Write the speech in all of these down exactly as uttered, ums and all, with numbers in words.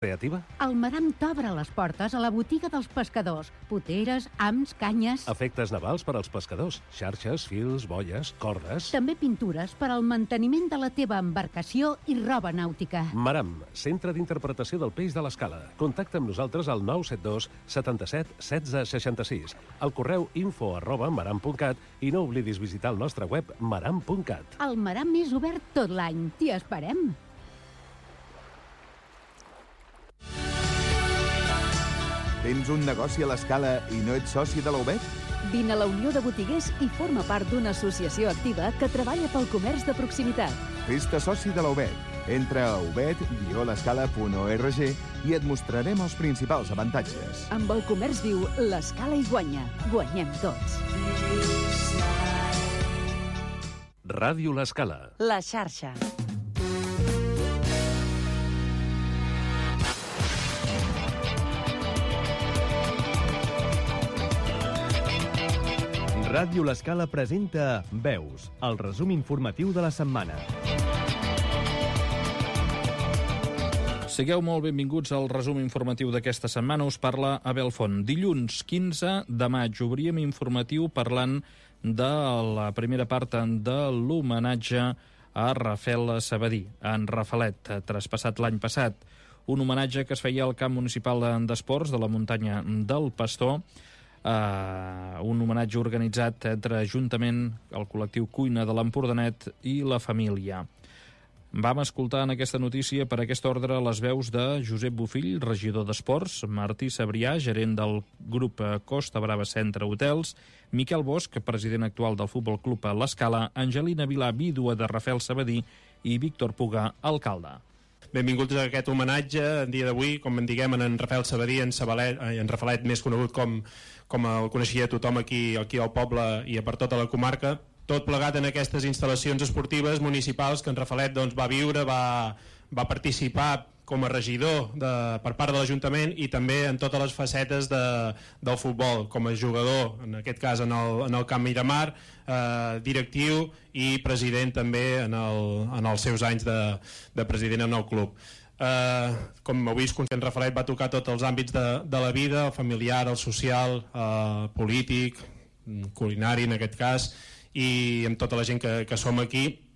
creativa? El Maram t'obre les portes a la botiga dels pescadors. Poteres, hams, canyes... Efectes navals per als pescadors. Xarxes, fils, boies, cordes... També pintures per al manteniment de la teva embarcació i roba nàutica. Maram, centre d'interpretació del peix de l'Escala. Contacta amb nosaltres al nou set dos setanta-set setze seixanta-sis, al correu info arroba maram punt cat i no oblidis visitar el nostre web maram punt cat. El Maram és obert tot l'any. T'hi esperem. Tens un negoci a l'Escala i no ets soci de la U B E T? Vine a la Unió de Botiguers i forma part d'una associació activa que treballa pel comerç de proximitat. Fes-te soci de la U B E T. Entra a ubet guió l'escala punt org i et mostrarem els principals avantatges. Amb el comerç viu, l'Escala hi guanya. Guanyem tots. Ràdio l'Escala. La xarxa. Ràdio l'Escala presenta Veus, el resum informatiu de la setmana. Sigueu molt benvinguts al resum informatiu d'aquesta setmana. Us parla Abel Font. Dilluns quinze de maig obríem informatiu parlant de la primera part de l'homenatge a Rafael Sabadí, en Rafalet, traspassat l'any passat. Un homenatge que es feia al camp municipal d'esports de la muntanya del Pastor. Uh, un homenatge organitzat entre Ajuntament, el col·lectiu Cuina de l'Empordanet i la família. Vam escoltar en aquesta notícia per aquest ordre les veus de Josep Bofill, regidor d'Esports, Martí Sabrià, gerent del grup Costa Brava Centre Hotels, Miquel Bosch, president actual del Futbol Club l'Escala, Angelina Vilà, vídua de Rafael Sabadí, i Víctor Puga, alcalde. Benvinguts a aquest homenatge en dia d'avui, com en diguem, en Rafael Sabadí, en, Sabalet, en Rafalet, més conegut com, com el coneixia tothom aquí, aquí al poble i per tota la comarca, tot plegat en aquestes instal·lacions esportives municipals que en Rafalet doncs, va viure, va, va participar com a regidor de, per part de l'Ajuntament i també en totes les facetes de, del futbol, com a jugador, en aquest cas en el, en el Camp Miramar, eh, directiu i president també en, el, en els seus anys de, de president en el club. Eh, com heu vist, conscient Rafalet va tocar tots els àmbits de, de la vida, el familiar, el social, el polític, culinari en aquest cas, i amb tota la gent que, que som aquí.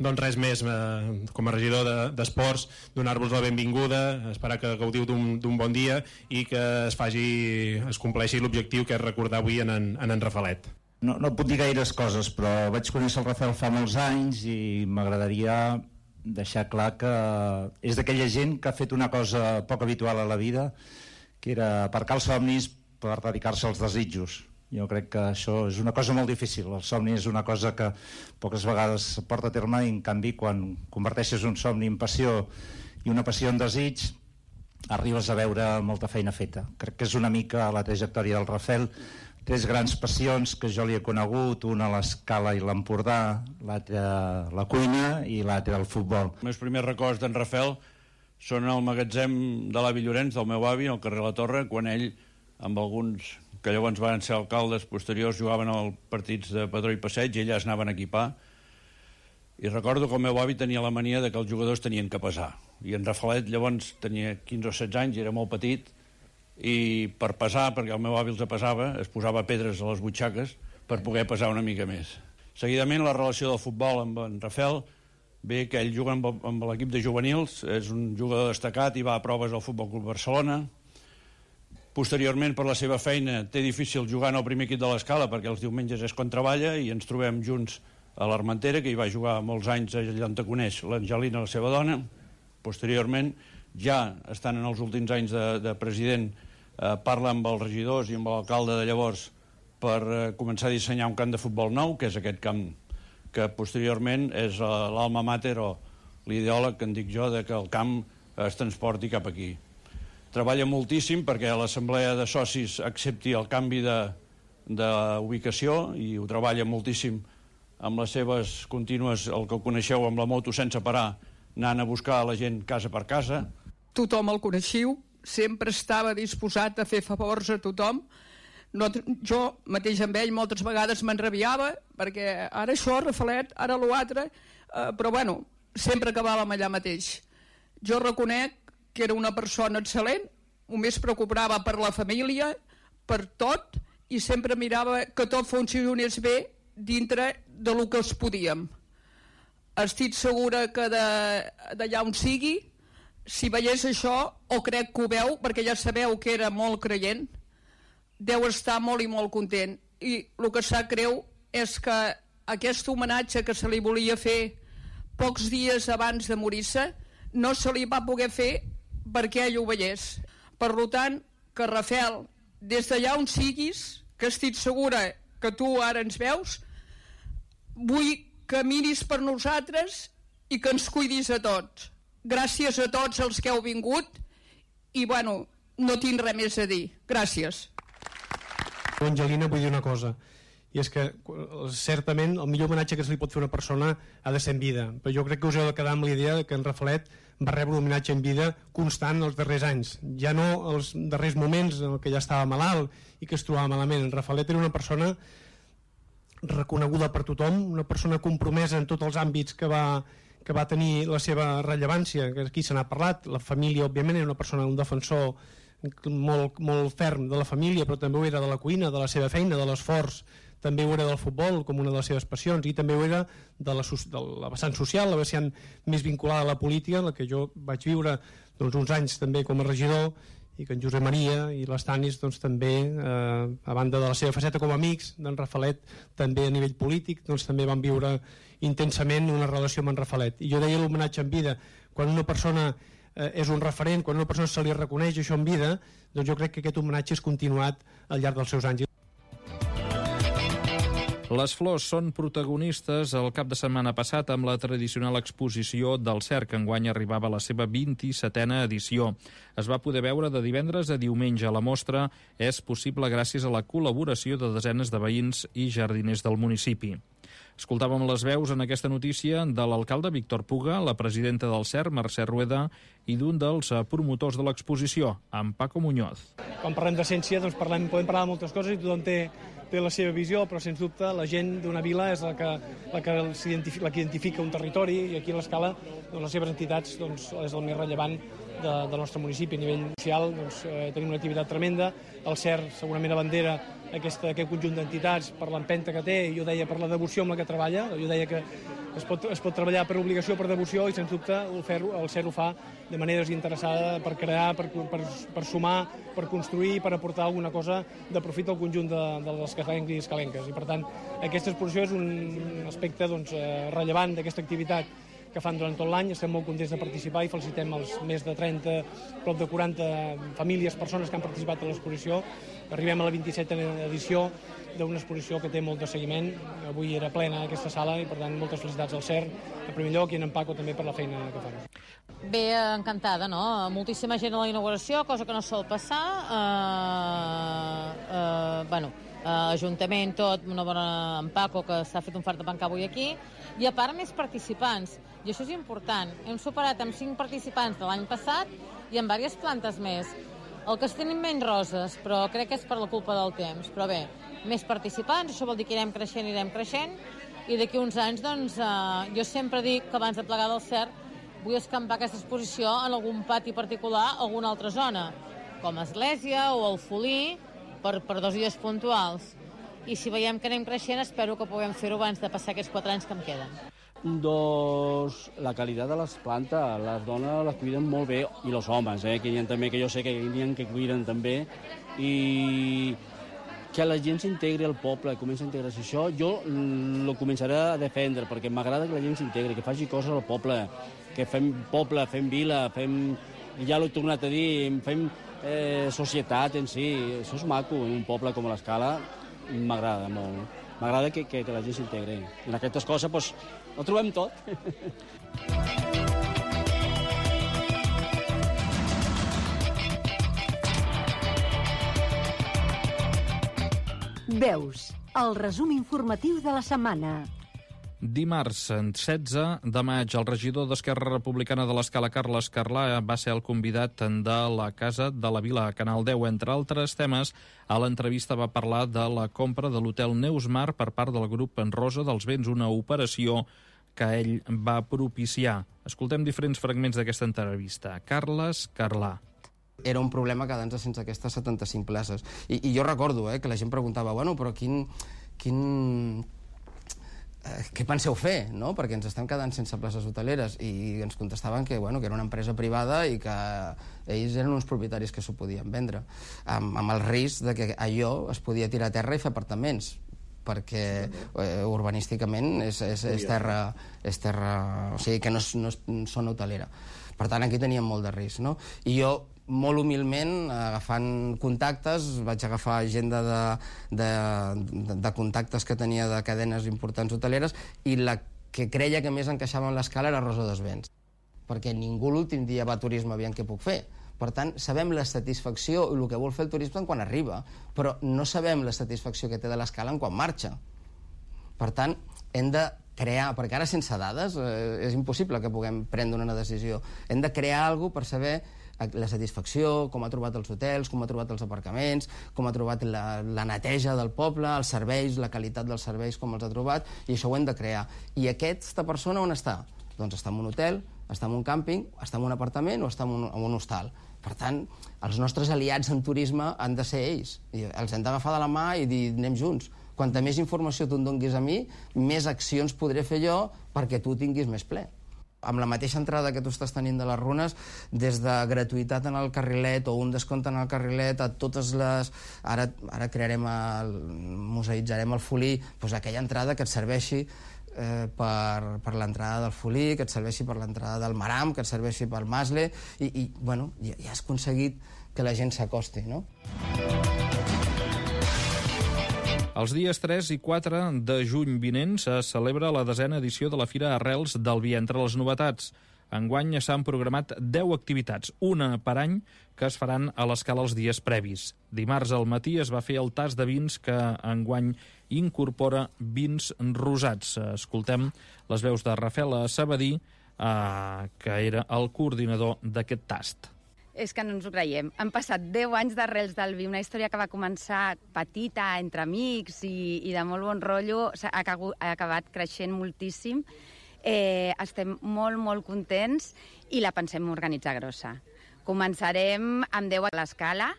Doncs res més, eh, com a regidor d'Esports, de, donar-vos la benvinguda, esperar que gaudiu d'un bon dia i que es faci, es compleixi l'objectiu que és recordar avui en en, en, en Rafalet. No, no puc dir gaires coses, però vaig conèixer el Rafael fa molts anys i m'agradaria deixar clar que és d'aquella gent que ha fet una cosa poc habitual a la vida, que era aparcar els somnis per dedicar-se als desitjos. Jo crec que això és una cosa molt difícil. El somni és una cosa que poques vegades es porta a terme i, en canvi, quan converteixes un somni en passió i una passió en desig, arribes a veure molta feina feta. Crec que és una mica la trajectòria del Rafael. Tres grans passions que jo li he conegut, una a l'Escala i l'Empordà, l'altra la cuina i l'altra el futbol. Els meus primers records d'en Rafael són al magatzem de l'avi Llorenç, del meu avi, al carrer La Torre, quan ell, amb alguns que llavors van ser alcaldes posteriors, jugaven als partits de Padró i Passeig i elles anaven a equipar. I recordo que el meu avi tenia la mania de que els jugadors tenien que pesar. I en Rafalet llavors tenia quinze o setze anys, era molt petit, i per pesar, perquè el meu avi els pesava, es posava pedres a les butxaques per poder pesar una mica més. Seguidament, la relació del futbol amb en Rafael, bé que ell juga amb, amb l'equip de juvenils, és un jugador destacat i va a proves al Futbol Club Barcelona. Posteriorment, per la seva feina, té difícil jugar en el primer equip de l'Escala perquè els diumenges és quan treballa i ens trobem junts a l'Armentera, que hi va jugar molts anys allà on te coneix l'Angelina, la seva dona. Posteriorment, ja estan en els últims anys de, de president, eh, parla amb els regidors i amb l'alcalde de llavors per eh, començar a dissenyar un camp de futbol nou, que és aquest camp que posteriorment és eh, l'alma mater o l'ideòleg que en dic jo de que el camp es transporti cap aquí. Treballa moltíssim perquè l'assemblea de socis accepti el canvi d'ubicació i ho treballa moltíssim amb les seves contínues, el que ho coneixeu amb la moto sense parar, anant a buscar la gent casa per casa. Tothom el coneixiu, sempre estava disposat a fer favors a tothom. No, jo mateix amb ell moltes vegades m'enrabiava perquè ara això, Rafalet, ara l'altre, eh, però bueno, sempre acabàvem allà mateix. Jo reconec que era una persona excel·lent, només preocupava per la família, per tot, i sempre mirava que tot funcionés bé dintre de lo que els podíem. Estic segura que d'allà on sigui, si veiés això, o crec que ho veu, perquè ja sabeu que era molt creient, deu estar molt i molt content. I el que sap greu és que aquest homenatge que se li volia fer pocs dies abans de morir-se no se li va poder fer perquè ell ho veiés. Per tant, que Rafael, des d'allà on siguis, que estic segura que tu ara ens veus, vull que miris per nosaltres i que ens cuidis a tots. Gràcies a tots els que heu vingut i, bueno, no tinc res més a dir. Gràcies. Angelina, vull dir una cosa, i és que certament el millor homenatge que se li pot fer a una persona ha de ser en vida, però jo crec que us heu de quedar amb la idea que en Rafalet va rebre un homenatge en vida constant els darrers anys, ja no els darrers moments en què ja estava malalt i que es trobava malament. En Rafalet era una persona reconeguda per tothom, una persona compromesa en tots els àmbits que va, que va tenir la seva rellevància, que aquí se n'ha parlat. La família, òbviament, era una persona, un defensor molt, molt ferm de la família, però també ho era de la cuina, de la seva feina, de l'esforç, també ho era del futbol com una de les seves passions, i també ho era de la, de la vessant social, la vessant més vinculada a la política, en la que jo vaig viure doncs, uns anys també com a regidor, i que en Josep Maria i les Tanis doncs, també, eh, a banda de la seva faceta com a amics d'en Rafalet, també a nivell polític, doncs, també van viure intensament una relació amb en Rafalet. I jo deia l'homenatge en vida, quan una persona eh, és un referent, quan una persona se li reconeix això en vida, doncs jo crec que aquest homenatge és continuat al llarg dels seus anys. Les flors són protagonistes el cap de setmana passat amb la tradicional exposició del Cerc, que enguany arribava a la seva vint-i-setena edició. Es va poder veure de divendres a diumenge. La mostra és possible gràcies a la col·laboració de desenes de veïns i jardiners del municipi. Escoltàvem les veus en aquesta notícia de l'alcalde Víctor Puga, la presidenta del Cerc, Mercè Rueda, i d'un dels promotors de l'exposició, en Paco Muñoz. Quan parlem de ciència doncs parlem, podem parlar de moltes coses i tothom té, té la seva visió, però sens dubte la gent d'una vila és la que, la que, la que identifica un territori, i aquí a l'Escala doncs, les seves entitats doncs, és el més rellevant de, del nostre municipi. A nivell social doncs, eh, tenim una activitat tremenda, el Cerc segurament abandera aquesta, aquest conjunt d'entitats per l'empenta que té, i jo deia per la devoció amb la que treballa, jo deia que es pot, es pot treballar per obligació, per devoció, i sens dubte el, fer, el Cerc ho fa de manera desinteressada per crear, per, per, per sumar, per construir, per aportar alguna cosa de profit al conjunt de, de les escalencs i escalenques. I per tant, aquesta exposició és un aspecte doncs, rellevant d'aquesta activitat que fan durant tot l'any. Estem molt contents de participar i felicitem els més de trenta, prop de quaranta famílies, persones que han participat en l'exposició. Arribem a la vint-i-setena edició d'una exposició que té molt de seguiment. Avui era plena aquesta sala i, per tant, moltes felicitats al Cerc, en primer lloc, i en Paco també per la feina que fan. Bé, encantada, no? Moltíssima gent a la inauguració, cosa que no sol passar. Uh, uh, bueno, uh, Ajuntament, tot, una bona en Paco, que s'ha fet un fart de pencar avui aquí, i a part més participants, i això és important. Hem superat amb cinc participants de l'any passat i amb diverses plantes més. El que es tenim menys roses, però crec que és per la culpa del temps. Però bé, més participants, això vol dir que irem creixent, irem creixent, i d'aquí uns anys, doncs, eh, jo sempre dic que abans de plegar del Cerc vull escampar aquesta exposició en algun pati particular o alguna altra zona, com Església o el Folí, per, per dos dies puntuals. I si veiem que anem creixent, espero que puguem fer-ho abans de passar aquests quatre anys que em queden. Doncs la qualitat de les plantes, les dones les cuiden molt bé, i els homes, eh, que hi ha també, que jo sé que hi ha que cuiden també, i que la gent s'integri al poble, comença a integrar-se. Això jo ho començaré a defendre, perquè m'agrada que la gent s'integri, que faci coses al poble, que fem poble, fem vila, fem, ja l'he tornat a dir, fem eh, societat en si. Això és maco, en un poble com l'Escala, m'agrada molt. M'agrada que, que, que la gent s'integri. En aquestes coses, doncs, ho trobem tot. Veus, el resum informatiu de la setmana. Dimarts, setze de maig, el regidor d'Esquerra Republicana de l'Escala, Carles Carlà, va ser el convidat de la Casa de la Vila, a Canal deu. Entre altres temes, a l'entrevista va parlar de la compra de l'hotel Neusmar per part del grup en Rosa dels Vents, una operació que ell va propiciar. Escoltem diferents fragments d'aquesta entrevista. Carles Carlà. Era un problema quedar-nos sense aquestes setanta-cinc places. I, i jo recordo eh, que la gent preguntava, bueno, però quin... quin... Eh, què penseu fer, no? Perquè ens estem quedant sense places hoteleres. I ens contestaven que, bueno, que era una empresa privada i que ells eren uns propietaris que s'ho podien vendre, amb, amb el risc de que allò es podia tirar a terra i fer apartaments, perquè eh, urbanísticament és, és, és, terra, és terra... O sigui, que no és, no és zona hotelera. Per tant, aquí teníem molt de risc, no? I jo, molt humilment, agafant contactes, vaig agafar agenda de, de, de, de contactes que tenia de cadenes importants hoteleres, i la que creia que més encaixava en l'escala era Rosa dos Vents, perquè ningú l'últim dia va a turisme aviam què puc fer. Per tant, sabem la satisfacció i el que vol fer el turisme quan arriba, però no sabem la satisfacció que té de l'escala quan marxa. Per tant, hem de crear, perquè ara sense dades eh, és impossible que puguem prendre una decisió. Hem de crear alguna cosa per saber la satisfacció, com ha trobat els hotels, com ha trobat els aparcaments, com ha trobat la, la neteja del poble, els serveis, la qualitat dels serveis, com els ha trobat, i això ho hem de crear. I aquesta persona on està? Doncs està en un hotel, està en un càmping, està en un apartament o està en un, en un hostal. Per tant, els nostres aliats en turisme han de ser ells. I els hem d'agafar de la mà i dir, anem junts. Quanta més informació tu em donguis a mi, més accions podré fer jo perquè tu tinguis més ple. Amb la mateixa entrada que tu estàs tenint de les runes, des de gratuïtat en el carrilet o un descompte en el carrilet a totes les... Ara, ara crearem, el... museïtzarem el Folí, doncs aquella entrada que et serveixi eh, per, per l'entrada del Folí, que et serveixi per l'entrada del Maram, que et serveixi pel Masle, i, i bueno, ja, ja has aconseguit que la gent s'acosti, no? Els dies tres i quatre de juny vinents es celebra la desena edició de la Fira Arrels del Vi. Entre les novetats, enguany s'han programat deu activitats, una per any, que es faran a l'escala els dies previs. Dimarts al matí es va fer el tast de vins que enguany incorpora vins rosats. Escoltem les veus de Rafael Sabadí, eh, que era el coordinador d'aquest tast. És que no ens ho creiem. Han passat deu anys d'Arrels del Vi, una història que va començar petita, entre amics i, i de molt bon rotllo, ha, ha acabat creixent moltíssim. Eh, estem molt, molt contents i la pensem organitzar grossa. Començarem amb deu a l'escala,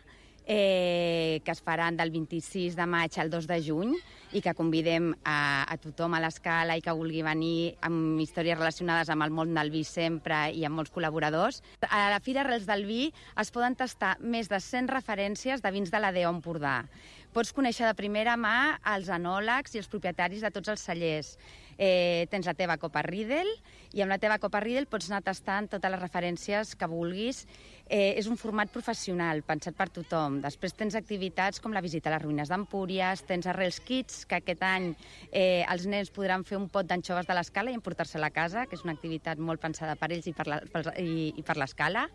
eh, que es faran del vint-i-sis de maig al dos de juny i que convidem a, a tothom a l'escala i que vulgui venir amb històries relacionades amb el món del vi sempre i amb molts col·laboradors. A la Fira Arrels del Vi es poden tastar més de cent referències de vins de la D O Empordà. Pots conèixer de primera mà els enòlegs i els propietaris de tots els cellers. Eh, tens la teva copa Riedel i amb la teva copa Riedel pots anar tastant totes les referències que vulguis. Eh, és un format professional, pensat per tothom. Després tens activitats com la visita a les ruïnes d'Empúries, tens Arrels Kids, que aquest any eh, els nens podran fer un pot d'anxoves de l'escala i emportar-se-la a casa, que és una activitat molt pensada per ells i per, la, per, i, i per l'escala.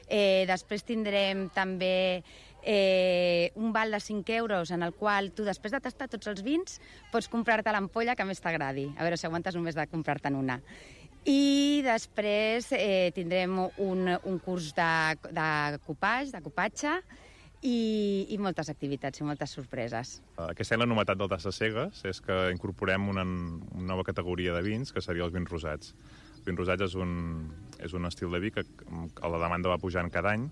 Eh, després tindrem també eh, un val de cinc euros en el qual tu, després de tastar tots els vins, pots comprar-te l'ampolla que més t'agradi. A veure si aguantes només de comprar-te'n una. I després eh, tindrem un, un curs de, de copatge, de copatge i, i moltes activitats i moltes sorpreses. Aquesta any la novetat del Tasses Cegues és que incorporem una, una nova categoria de vins, que seria els vins rosats. Els vins rosats és un, és un estil de vi que, que la demanda va pujant cada any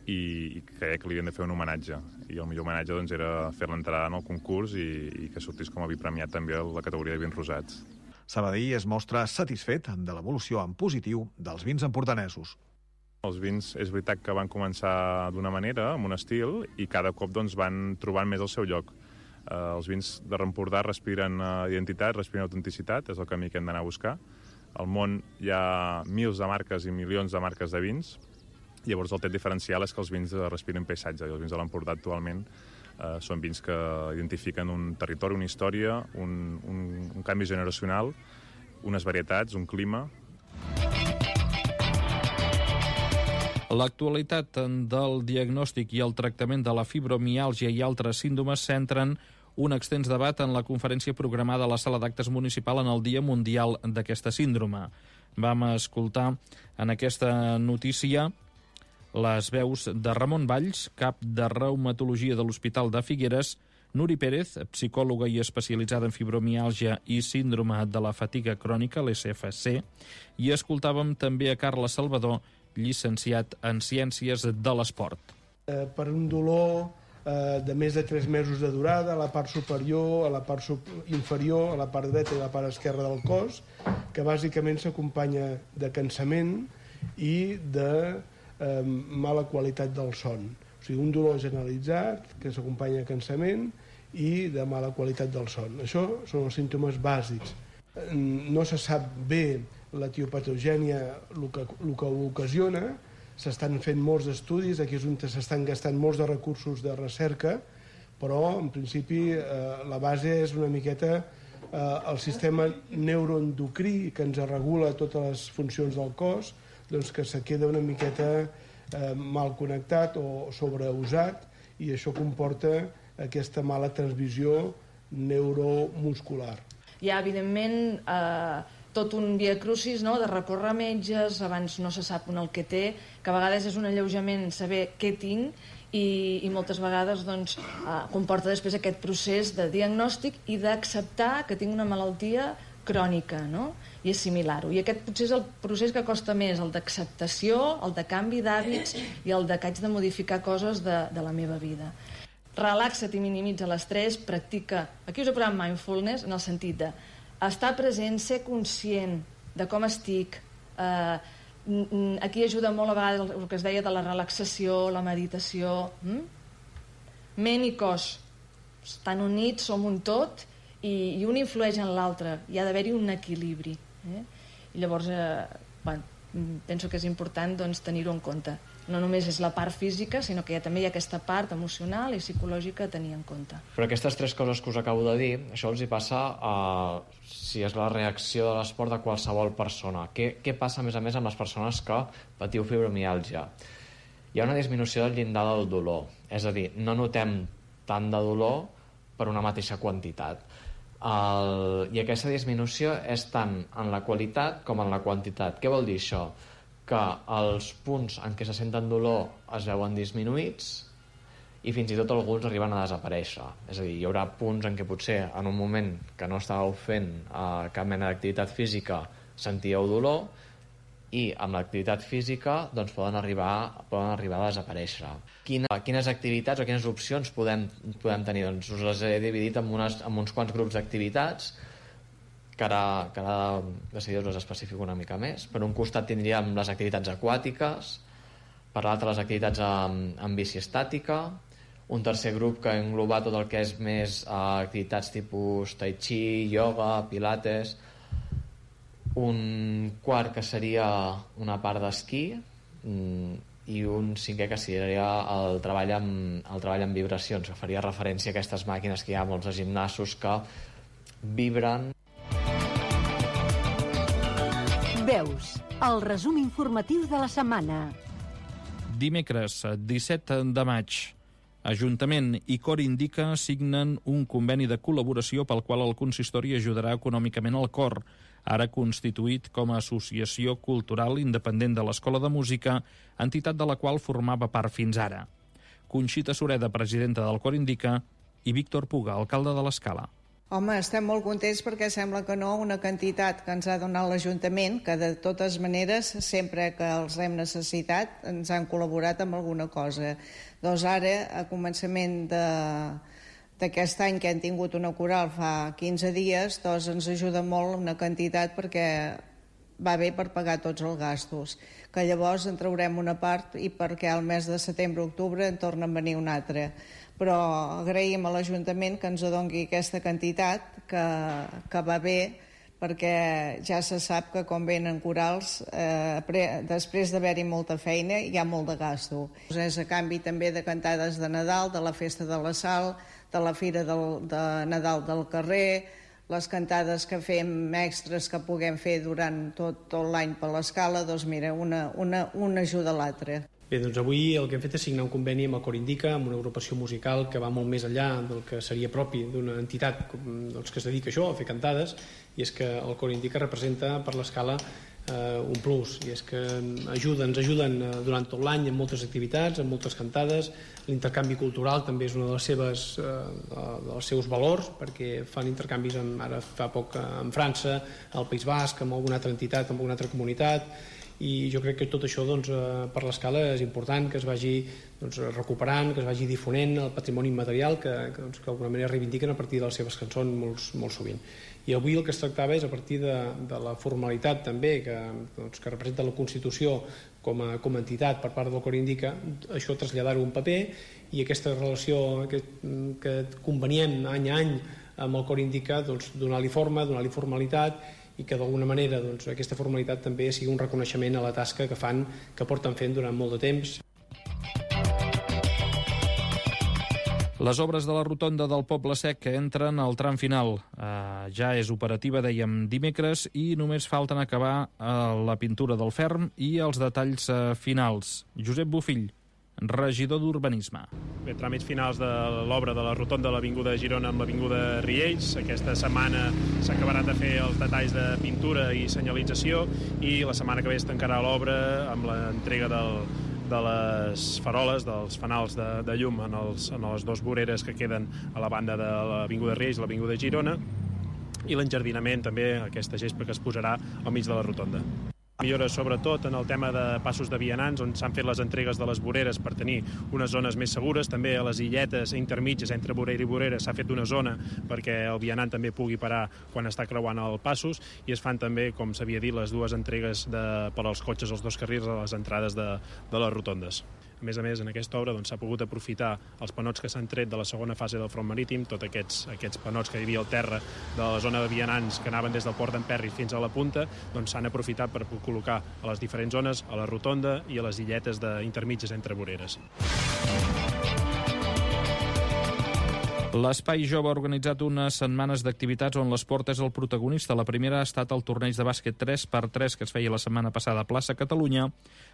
i, i creia que li havien de fer un homenatge. I el millor homenatge doncs, era fer l'entrada en el concurs i, i que sortís com a vi premiat també a la categoria de vins rosats. Sabadell es mostra satisfet de l'evolució en positiu dels vins empordanesos. Els vins és veritat que van començar d'una manera, amb un estil, i cada cop doncs, van trobant més el seu lloc. Eh, els vins de Empordà respiren uh, identitat, respiren autenticitat, és el camí que hem d'anar a buscar. Al món hi ha mils de marques i milions de marques de vins, llavors el tret diferencial és que els vins respiren paisatge, i els vins de l'Empordà actualment eh, són vins que identifiquen un territori, una història, un, un, un canvi generacional, unes varietats, un clima. L'actualitat del diagnòstic i el tractament de la fibromiàlgia i altres síndromes centren un extens debat en la conferència programada a la Sala d'Actes Municipal en el Dia Mundial d'aquesta síndrome. Vam escoltar en aquesta notícia les veus de Ramon Valls, cap de reumatologia de l'Hospital de Figueres, Nuri Pérez, psicòloga i especialitzada en fibromiàlgia i síndrome de la fatiga crònica, l'S F C, i escoltàvem també a Carles Salvador, llicenciat en Ciències de l'Esport. Eh, per un dolor eh, de més de tres mesos de durada a la part superior, a la part inferior, a la part dreta i a la part esquerra del cos, que bàsicament s'acompanya de cansament i de eh, mala qualitat del son. O sigui, un dolor generalitzat que s'acompanya de cansament i de mala qualitat del son. Això són els símptomes bàsics. No se sap bé l'etiopatogènia, el que, el que ho ocasiona. S'estan fent molts estudis, aquí és on s'estan gastant molts de recursos de recerca, però en principi eh, la base és una miqueta eh, el sistema neuroendocrí que ens regula totes les funcions del cos, doncs que se queda una miqueta eh, mal connectat o sobreusat, i això comporta aquesta mala transmissió neuromuscular. Hi ha, evidentment, eh, tot un viacrucis, no?, de recórrer a metges, abans no se sap un el que té, que a vegades és un alleujament saber què tinc, i, i moltes vegades doncs, eh, comporta després aquest procés de diagnòstic i d'acceptar que tinc una malaltia crònica, no?, i assimilar-ho. I aquest potser és el procés que costa més, el d'acceptació, el de canvi d'hàbits i el de que haig de modificar coses de, de la meva vida. Relaxa't i minimitza l'estrès, practica... Aquí us he posat mindfulness en el sentit de estar present, ser conscient de com estic. Eh, aquí ajuda molt a vegades el que es deia de la relaxació, la meditació. Mm? Ment i cos estan units, som un tot, i, i un influeix en l'altre. Hi ha d'haver-hi un equilibri. Eh? I llavors, eh, bueno, penso que és important doncs, tenir-ho en compte. No només és la part física, sinó que ja també hi ha aquesta part emocional i psicològica a tenir en compte. Però aquestes tres coses que us acabo de dir, això els hi passa a, si és la reacció de l'esport de qualsevol persona. Què, què passa, a més a més, amb les persones que patiu fibromiàlgia? Hi ha una disminució del llindar del dolor, és a dir, no notem tant de dolor per una mateixa quantitat. El, I aquesta disminució és tant en la qualitat com en la quantitat. Què vol dir això? Que els punts en què se senten dolor es veuen disminuïts i fins i tot alguns arriben a desaparèixer. És a dir, hi haurà punts en què potser en un moment que no estàveu fent eh, cap mena d'activitat física sentíeu dolor i amb l'activitat física doncs, poden, arribar, poden arribar a desaparèixer. Quina, quines activitats o quines opcions podem, podem tenir? Doncs us les he dividit en, unes, en uns quants grups d'activitats que ara, que ara de seguida us especifico una mica més. Per un costat tindríem les activitats aquàtiques, per l'altre les activitats amb, amb bici estàtica, un tercer grup que engloba tot el que és més eh, activitats tipus tai chi, ioga, pilates, un quart que seria una part d'esquí i un cinquè que seria el treball amb, el treball amb vibracions, que faria referència a aquestes màquines que hi ha molts de gimnasos que vibren. Veus, el resum informatiu de la setmana. Dimecres, disset de maig, Ajuntament i Cor Indica signen un conveni de col·laboració pel qual el consistori ajudarà econòmicament el Cor, ara constituït com a associació cultural independent de l'Escola de Música, entitat de la qual formava part fins ara. Conxita Sureda, presidenta del Cor Indica, i Víctor Puga, alcalde de l'Escala. Home, estem molt contents perquè sembla que no, una quantitat que ens ha donat l'Ajuntament, que de totes maneres, sempre que els hem necessitat, ens han col·laborat amb alguna cosa. Doncs ara, a començament de, d'aquest any que hem tingut una coral fa quinze dies, doncs ens ajuda molt una quantitat perquè va bé per pagar tots els gastos, que llavors en traurem una part i perquè al mes de setembre-octubre en torna a venir una altra. Però agraïm a l'Ajuntament que ens doni aquesta quantitat, que, que va bé, perquè ja se sap que quan venen corals, eh, pre, després d'haver-hi molta feina, hi ha molt de gasto. És a canvi també de cantades de Nadal, de la Festa de la Sal, de la Fira del, de Nadal del carrer, les cantades que fem extres que puguem fer durant tot, tot l'any per l'Escala, doncs mira, una, una, una ajuda a l'altra. Bé, doncs avui el que hem fet és signar un conveni amb el Cor Indica, amb una agrupació musical que va molt més enllà del que seria propi d'una entitat doncs, que es dedica a això, a fer cantades, i és que el Cor Indica representa per l'Escala eh, un plus, i és que ajuden, ens ajuden durant tot l'any en moltes activitats, en moltes cantades. L'intercanvi cultural també és un dels seves, eh, dels seus valors, perquè fan intercanvis amb, ara fa poc en França, al País Basc, amb alguna altra entitat, amb alguna altra comunitat, i jo crec que tot això doncs, eh, per l'escala és important que es vagi doncs, recuperant, que es vagi difonent el patrimoni immaterial que, que, doncs, que d'alguna manera reivindiquen a partir de les seves cançons molt, molt sovint. I avui el que es tractava és a partir de, de la formalitat també que, doncs, que representa la Constitució com a, com a entitat per part del Cor Indica, això traslladar-ho a un paper, i aquesta relació que, que convenient any a any amb el Cor Indica, doncs, donar-li forma, donar-li formalitat, i que d'alguna manera doncs, aquesta formalitat també sigui un reconeixement a la tasca que fan, que porten fent durant molt de temps. Les obres de la rotonda del Poble Sec que entren al tram final. Uh, ja és operativa, dèiem, dimecres, i només falten acabar uh, la pintura del ferm i els detalls uh, finals. Josep Bofill, regidor d'Urbanisme. Bé, tràmits finals de l'obra de la rotonda de l'Avinguda de Girona amb l'Avinguda Riells. Aquesta setmana s'acabaran de fer els detalls de pintura i senyalització, i la setmana que ve es tancarà l'obra amb l'entrega del, de les faroles, dels fanals de, de llum en, els, en les dues voreres que queden a la banda de l'Avinguda Riells i l'Avinguda Girona, i l'enjardinament també, aquesta gespa que es posarà al mig de la rotonda. Millores sobretot en el tema de passos de vianants, on s'han fet les entregues de les voreres per tenir unes zones més segures. També a les illetes intermitges entre vorera i vorera s'ha fet una zona perquè el vianant també pugui parar quan està creuant els passos, i es fan també, com s'havia dit, les dues entregues de, per als cotxes, els dos carrils a les entrades de, de les rotondes. A més a més, en aquesta obra doncs, s'ha pogut aprofitar els panots que s'han tret de la segona fase del front marítim, tots aquests, aquests panots que hi havia al terra de la zona de vianants que anaven des del port d'Emperri fins a la punta, doncs s'han aprofitat per col·locar a les diferents zones, a la rotonda i a les illetes intermitges entre voreres. L'Espai Jove ha organitzat unes setmanes d'activitats on l'esport és el protagonista. La primera ha estat el torneig de bàsquet tres per tres que es feia la setmana passada a Plaça Catalunya,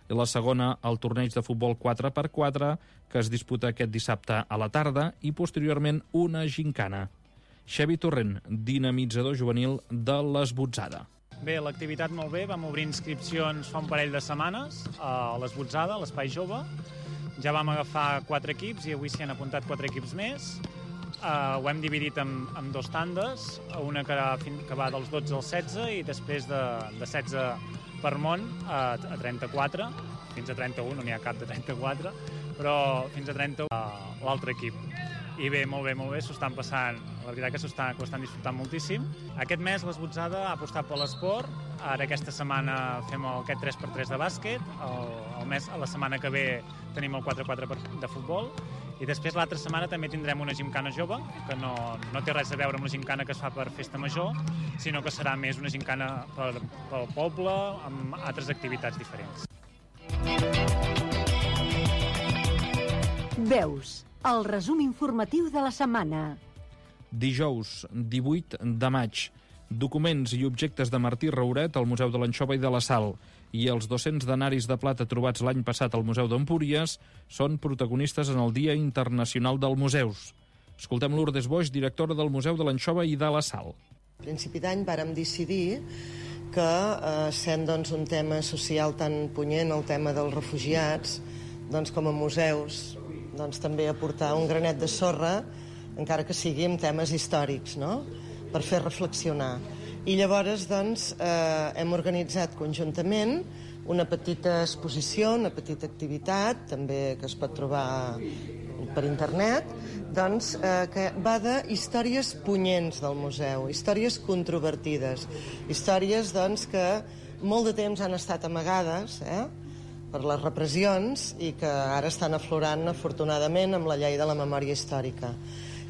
i la segona el torneig de futbol quatre per quatre que es disputa aquest dissabte a la tarda, i posteriorment una gincana. Xavi Torrent, dinamitzador juvenil de l'Esbotzada. Bé, l'activitat molt bé, vam obrir inscripcions fa un parell de setmanes a l'Esbotzada, a l'Espai Jove. Ja vam agafar quatre equips i avui s'hi han apuntat quatre equips més. Uh, ho hem dividit en, en dos tandes, una que, que va dels dotze als setze i després de, de setze per món a, a trenta-quatre, fins a trenta-u, no n'hi ha cap de trenta-quatre, però fins a trenta-u uh, l'altre equip. I bé, molt bé, molt bé, s'ho estan passant, la veritat que s'ho estan, que ho estan disfrutant moltíssim. Aquest mes l'Esbotzada ha apostat per l'esport, ara aquesta setmana fem el, aquest tres per tres de bàsquet, el, el mes, la setmana que ve tenim el quatre per quatre de futbol, i després l'altra setmana també tindrem una gimcana jove, que no, no té res a veure amb la gimcana que es fa per festa major, sinó que serà més una gimcana per, pel poble, amb altres activitats diferents. Veus, el resum informatiu de la setmana. Dijous, divuit de maig. Documents i objectes de Martí Rauret al Museu de l'Anxova i de la Sal, i els dos-cents denaris de plata trobats l'any passat al Museu d'Empúries són protagonistes en el Dia Internacional dels Museus. Escoltem Lourdes Boix, directora del Museu de l'Anxova i de la Sal. A principi d'any vàrem decidir que, eh, sent doncs, un tema social tan punyent, el tema dels refugiats, doncs, com a museus, doncs, també aportar un granet de sorra, encara que sigui amb temes històrics, no?, per fer reflexionar. I llavors doncs, eh, hem organitzat conjuntament una petita exposició, una petita activitat, també que es pot trobar per internet, doncs, eh, que va de històries punyents del museu, històries controvertides, històries doncs, que molt de temps han estat amagades, eh, per les repressions, i que ara estan aflorant, afortunadament, amb la llei de la memòria històrica.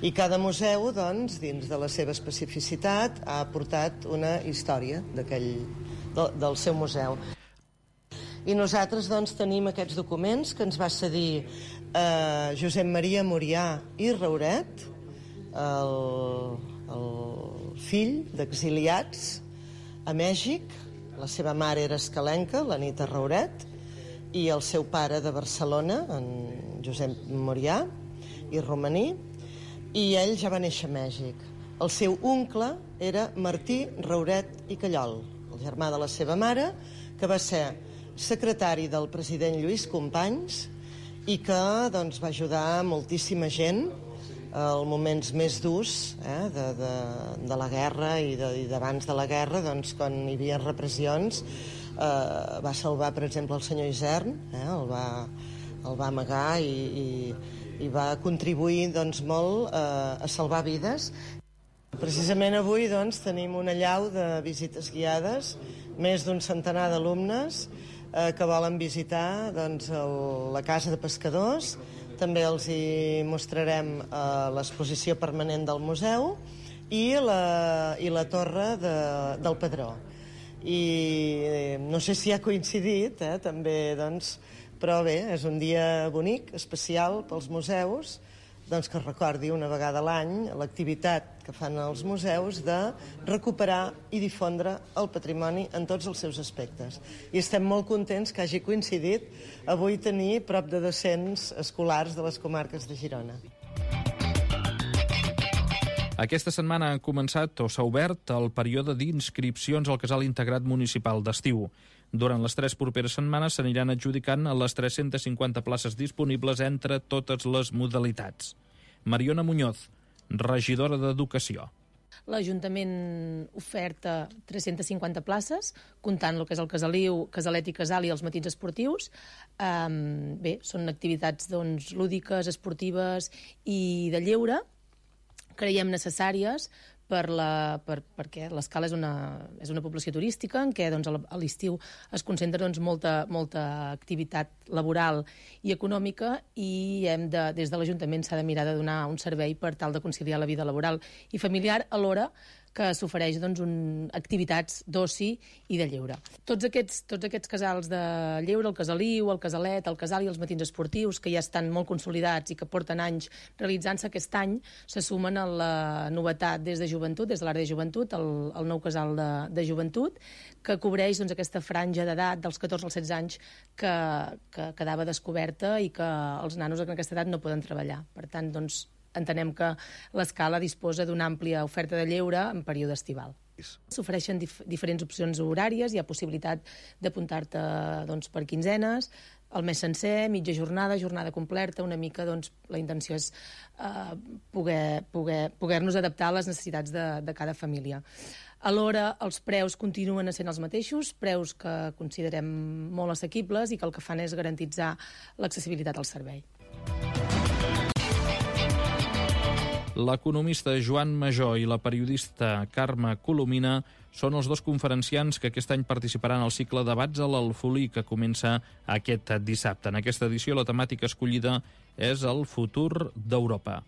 I cada museu, doncs, dins de la seva especificitat, ha aportat una història d'aquell, de, del seu museu. I nosaltres, doncs, tenim aquests documents que ens va cedir eh, Josep Maria Murià i Rauret, el, el fill d'exiliats a Mèxic. La seva mare era escalenca, l'Anita Rauret, i el seu pare de Barcelona, en Josep Murià i Romaní, i ell ja va néixer a Mèxic. El seu oncle era Martí Rauret i Callol. el germà de la seva mare, que va ser secretari del president Lluís Companys i que doncs, va ajudar moltíssima gent als moments més durs eh, de, de, de la guerra i, de, i d'abans de la guerra, doncs, quan hi havia repressions, eh, va salvar, per exemple, el senyor Isern, eh, el, va, el va amagar i, i, i va contribuir doncs, molt eh, a salvar vides. Precisament avui doncs, tenim una allau de visites guiades, més d'un centenar d'alumnes eh, que volen visitar doncs, el, la Casa de Pescadors. També els hi mostrarem eh, l'exposició permanent del museu i la, i la torre de, del Pedró. I no sé si ha coincidit, eh, també, doncs, però bé, és un dia bonic, especial pels museus, doncs que es recordi una vegada a l'any l'activitat que fan els museus de recuperar i difondre el patrimoni en tots els seus aspectes. I estem molt contents que hagi coincidit avui tenir prop de dos-cents escolars de les comarques de Girona. Aquesta setmana ha començat o s'ha obert el període d'inscripcions al casal integrat municipal d'estiu. Durant les tres properes setmanes s'aniran adjudicant a les tres-centes cinquanta places disponibles entre totes les modalitats. Mariona Muñoz, regidora d'Educació. L'Ajuntament oferta tres-centes cinquanta places, comptant el que és el Casaliu, Casalet i Casal i els matins esportius. Um, bé, són activitats doncs, lúdiques, esportives i de lleure, creiem necessàries per la, per, perquè l'Escala és una, és una població turística en què doncs, a l'estiu es concentra doncs, molta, molta activitat laboral i econòmica i hem de, des de l'Ajuntament s'ha de mirar de donar un servei per tal de conciliar la vida laboral i familiar alhora que s'ofereix doncs, un, activitats d'oci i de lleure. Tots aquests, tots aquests casals de lleure, el Casaliu, el Casalet, el Casal i els matins esportius, que ja estan molt consolidats i que porten anys realitzant-se aquest any, se sumen a la novetat des de joventut, des de l'àrea de joventut, el, el nou casal de, de joventut, que cobreix doncs, aquesta franja d'edat dels catorze als setze anys que, que quedava descoberta i que els nanos en aquesta edat no poden treballar. Per tant, doncs, entenem que l'Escala disposa d'una àmplia oferta de lleure en període estival. S'ofereixen dif diferents opcions horàries, hi ha possibilitat d'apuntar-te doncs, per quinzenes, el mes sencer, mitja jornada, jornada completa, una mica doncs, la intenció és eh, poder, poder, poder-nos adaptar a les necessitats de, de cada família. Alhora, els preus continuen sent els mateixos, preus que considerem molt assequibles i que el que fan és garantitzar l'accessibilitat al servei. L'economista Joan Major i la periodista Carme Colomina són els dos conferenciants que aquest any participaran al cicle Debats a l'Alfolí, que comença aquest dissabte. En aquesta edició la temàtica escollida és el futur d'Europa.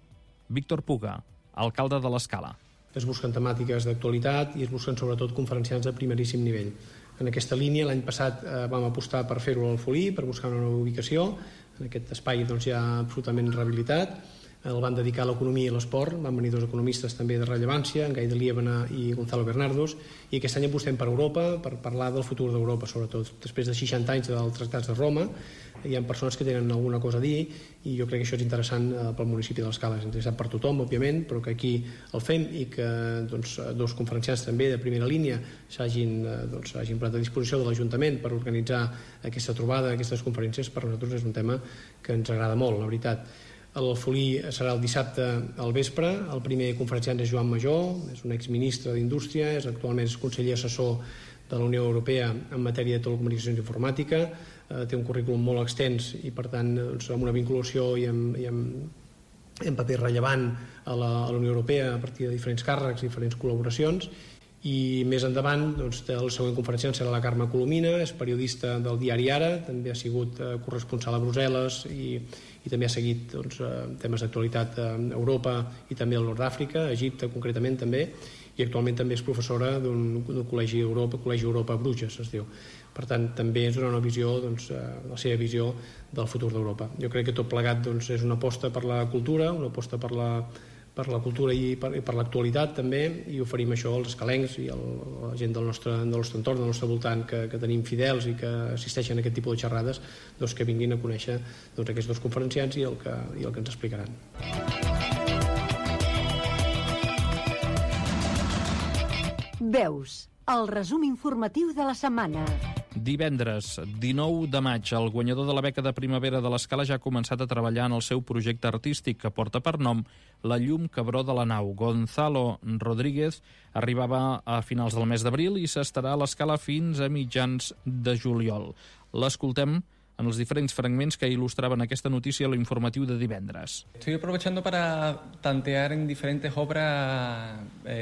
Víctor Puga, alcalde de l'Escala. Es busquen temàtiques d'actualitat i es busquen sobretot conferenciants de primeríssim nivell. En aquesta línia l'any passat eh, vam apostar per fer-ho a l'Alfolí, per buscar una nova ubicació. En aquest espai doncs, ja absolutament rehabilitat. El van dedicar a l'economia i l'esport, van venir dos economistes també de rellevància, en Gai de Liébana i Gonzalo Bernardos, i aquest any apostem per Europa, per parlar del futur d'Europa, sobretot. Després de seixanta anys dels tractats de Roma, hi ha persones que tenen alguna cosa a dir, i jo crec que això és interessant pel municipi de l'Escala. És interessant per tothom, òbviament, però que aquí el fem i que doncs, dos conferenciants també de primera línia s'hagin doncs, posat a disposició de l'Ajuntament per organitzar aquesta trobada, aquestes conferències, per nosaltres és un tema que ens agrada molt, la veritat. L'Alfolí serà el dissabte al vespre. El primer conferenciant és Joan Major, és un exministre d'Indústria, és actualment és conseller assessor de la Unió Europea en matèria de telecomunicacions i informàtica, eh, té un currículum molt extens i per tant doncs, amb una vinculació i amb, i amb, amb paper rellevant a la, a la Unió Europea a partir de diferents càrrecs i diferents col·laboracions. I més endavant, doncs, el següent conferenciant serà la Carme Colomina, és periodista del diari Ara, també ha sigut eh, corresponsal a Brussel·les i, i també ha seguit doncs, temes d'actualitat a Europa i també al Nord d'Àfrica, a Egipte concretament també, i actualment també és professora d'un col·legi Europa, Col·legi Europa a Bruges, es diu. Per tant, també és una visió, doncs, la seva visió del futur d'Europa. Jo crec que tot plegat doncs, és una aposta per la cultura, una aposta per la per la cultura i per, i per l'actualitat també, i oferim això als escalencs i a la gent del nostre, del nostre entorn, del nostre voltant, que, que tenim fidels i que assisteixen a aquest tipus de xerrades, doncs que vinguin a conèixer doncs, aquests dos conferenciants i el que, i el que ens explicaran. Veus, El resum informatiu de la setmana. Divendres, dinou de maig, el guanyador de la beca de primavera de l'Escala ja ha començat a treballar en el seu projecte artístic que porta per nom La llum que broda la nau. Gonzalo Rodríguez arribava a finals del mes d'abril i s'estarà a l'Escala fins a mitjans de juliol. L'escoltem en els diferents fragments que il·lustraven aquesta notícia a l'informatiu de divendres. Estoy aprovechando para tantear en diferentes obras eh,